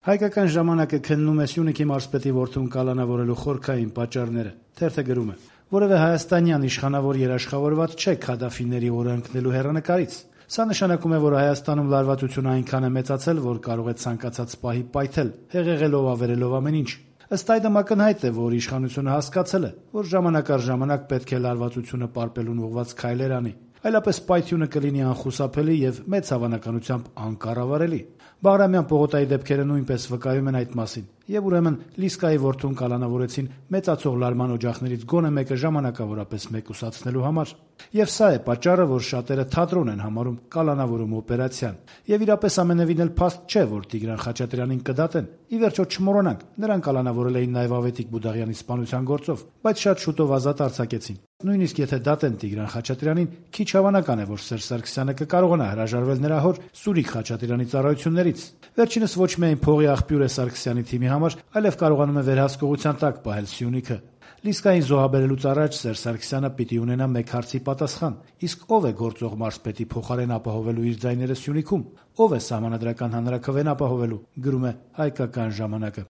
Հայկական ժամանակը քննում է Սյունիքի մարզպետի որդուն կալանավորելու խորքային պատճառները։ Թերթը գրում է. որևէ հայաստանյան իշխանավոր երաշխավորված չէ Քադաֆիների օրը ընկնելու հեռանկարից։ Սա նշանակում է, որ Հայաստանում լարվածությունը այնքան է մեծացել, որ կարող է ցանկացած պահի պայթել, հեղեղելով ավերելով ամեն ինչ։ Ըստ այդմ ակնհայտ է, որ իշխանությունը հասկացել է, որ ժամանակ առ ժամանակ պետք է լարվածությունը պարպելուն ուղղված քայլեր անի, այլապես պայթյունը կլինի անխուսափելի եւ մեծ հավանականությամբ անկառավարելի։ Բաղրամյան պողոտայի դեպքերը նույնպես վկայում են այդ մասին, եւ ուրեմն Լիսկայի որդուն կալանավորեցին մեծացող լարման օջախներից գոնե մեկը ժամանակավորապես մեկուսացնելու համար։ Եվ սա է պատճառը, որ շատերը թատրոն են համարում կալանավորում օպերացիան։ Եվ իրապես ամենևին էլ փաստ չէ, որ Տիգրան Խաչատրյանին կդատեն։ Ի վերջո չմոռանանք, նրան կալանավորել էին նաեւ Ավետիք Բուդաղյանի սպանության գործով, բայց շատ շուտով ազատ արձակեցին։ Նույնիսկ եթե դատեն Տիգրան Խաչատրյանին, քիչ հավանական է, որ Սերժ Սարգսյանը կկարողանա հրաժարվել նրա հոր Սուրիկ Խաչատրյանի ծառայություններից։ Վերջինս ոչ միայն փողի աղբյուր է Սարգսյանի թիմի համար, այլև կարողանում է վերահսկողության տակ պահել Սյունիքը։ Լիսկային զոհաբերելուց առաջ Սերժ Սարգսյանը պիտի ունենա մեկ հարցի պատասխան. իսկ ով է գործող մարզպետի փոխարեն ապահովելու իր ձայները Սյունիքում, ով է սահմանադրական հանրաքվեն ապահովելու, գրում է Հայկական ժամանակը։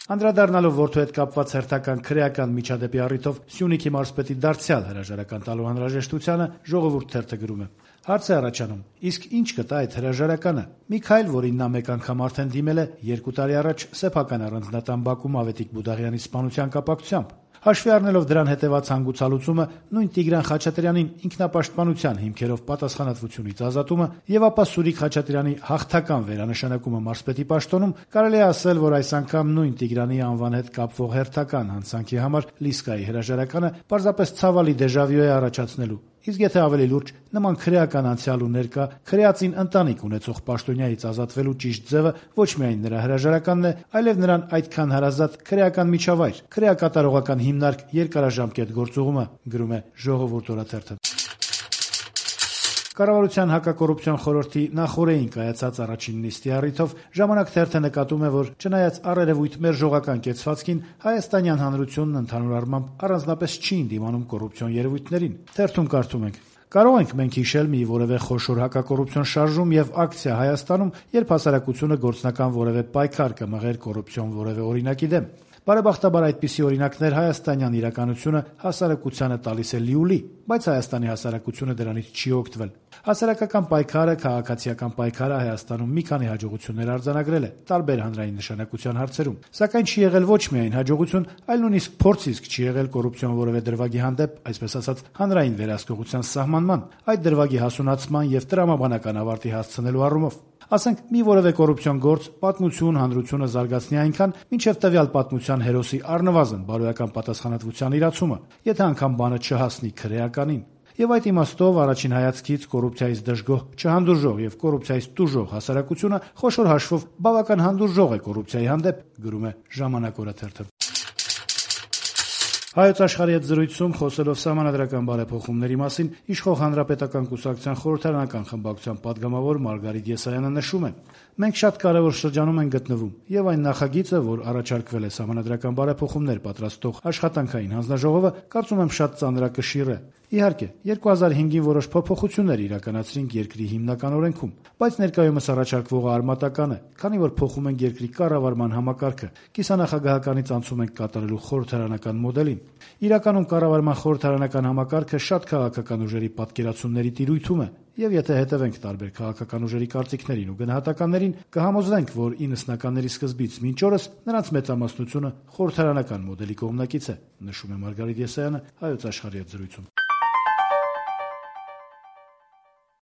Անդրադառնալով որդու հետ կապված հերթական քրեական միջադեպի առիթով Սյունիքի մարզպետի դարձյալ հրաժարական տալու անհրաժեշտությանը Ժողովուրդ թերթը գրում է. հարց է առաջանում, իսկ ինչ կտա այդ հրաժարականը։ Մի քայլ, որին նա մեկ անգամ արդեն դիմել է 2 տարի առաջ սեփական առանձնատան բակում Ավետիք Բուդաղյանի սպանության կապակցությամբ։ Հաշվի առնելով դրան հետևած հանգուցալուծումը, նույն Տիգրան Խաչատրյանին ինքնապաշտպանության հիմքերով պատասխանատվությունից ազատումը եւ ապա Սուրիկ Խաչատրյանի հաղթական վերանշանակումը մարզպետի պաշտոնում, կարելի է ասել, որ այս անգամ նույն Տիգրանի անվան հետ կապվող հերթական հանցանքի համար Լիսկայի հրաժարականը պարզապես ցավալի դեժավյու է առաջացնելու։ Իսկ եթե ավելի լուրջ, նման քրեական անցյալ ու ներկա, քրեածին ընտանիք ունեցող պաշտոնյայից ազատվելու ճիշտ ձևը ոչ միայն նրա հրաժարականն է, այլև նրան այդքան հարազատ քրեական միջավայր, քրեակատարողական հիմնարկ երկարաժամկետ գործուղումը, գրում է Ժողովուրդ օրաթերթը։ Կառավարության հակակոռուպցիոն խորհրդի նախօրեին կայացած առաջին նիստի առիթով Ժամանակ թերթը նկատում է, որ չնայած առերևույթ մերժողական կեցվածքին, հայաստանյան հանրությունն ընդհանուր առմամբ առանձնապես չի ընդդիմանում կոռուպցիոն երևույթներին։ Թերթում կարդում ենք. կարող ենք մենք հիշել մի որևէ խոշոր հակակոռուպցիոն շարժում եւ ակցիա Հայաստանում, երբ հասարակությունը գործնական որևէ պայքար կմղեր կոռուպցիոն որևէ օրինակի դեմ։ Բարեբախտաբար այդպիսի օրինակներ հայաստանյան իրականությունը հասարակությանը տալիս է լիուլի, բայց Հայաստանի հասարակությունը դրանից չի օգտվել։ Հասարակական պայքարը, քաղաքացիական պայքարը Հայաստանում մի քանի հաջողություններ արձանագրել է տարբեր հանրային նշանակության հարցերում, սակայն չի եղել ոչ միայն հաջողություն, այլ նույնիսկ փորձ չի եղել կոռուպցիոն որևէ դրվագի հանդեպ, այսպես ասած, հանրային վերահսկողության սահմանման, այդ դրվագի հասունացման եւ տրամաբանական ավարտի հասցնելու առումով։ Ասենք մի որևէ կոռուպցիոն գործ պատմություն հանրությունը զարգացնի այնքան, մինչև տվյալ պատմության հերոսի առնվազն բարոյական պատասխանատվության իրացումը, եթե անգամ բանը չհասնի քրեականին։ Եվ այդ իմաստով առաջին հայացքից կոռուպցիայից դժգոհ, չհանդուրժող եւ կոռուպցիայից տուժող հասարակությունը խոշոր հաշվով բավական հանդուրժող է կոռուպցիայի հանդեպ, գրում է Ժամանակ օրաթերթը։ Հայոց աշխարհի հետ զրույցում խոսելով սահմանադրական բարեփոխումների մասին իշխող հանրապետական կուսակցության խորհրդարանական խմբակցության падգամավոր Մարգարիտ Եսայանը նշում է. մենք շատ կարևոր շրջանում ենք գտնվում եւ այն նախագիծը, որ առաջարկվել է սահմանադրական բարեփոխումներ պատրաստող աշխատանքային հանձնաժողովը, կարծում եմ շատ ծանրակշիռ է։ Իհարկե, 2005-ին որոշ փոփոխություններ իրականացրինք երկրի հիմնական օրենքում, բայց ներկայումս առաջարկվողը արմատական է, քանի որ փոխում ենք երկրի կառավարման համակարգը, կիսանախագահականից անցում ենք կատարելու խորհրդարանական մոդելին։ Իրականում կառավարման խորհրդարանական համակարգը շատ քաղաքական ուժերի պատկերացումների տիրույթում է, եւ եթե հետևենք տարբեր քաղաքական ուժերի կարծիքներին ու գնահատականներին, կհամոզվենք, որ 90-ականների սկզբից մինչ օրս նրանց մեծամասնությունը խորհրդարանական մոդելի կողմնակից է, նշում է Մարգարիտ Եսայանը Հայոց աշխարհի հետ զրույցում։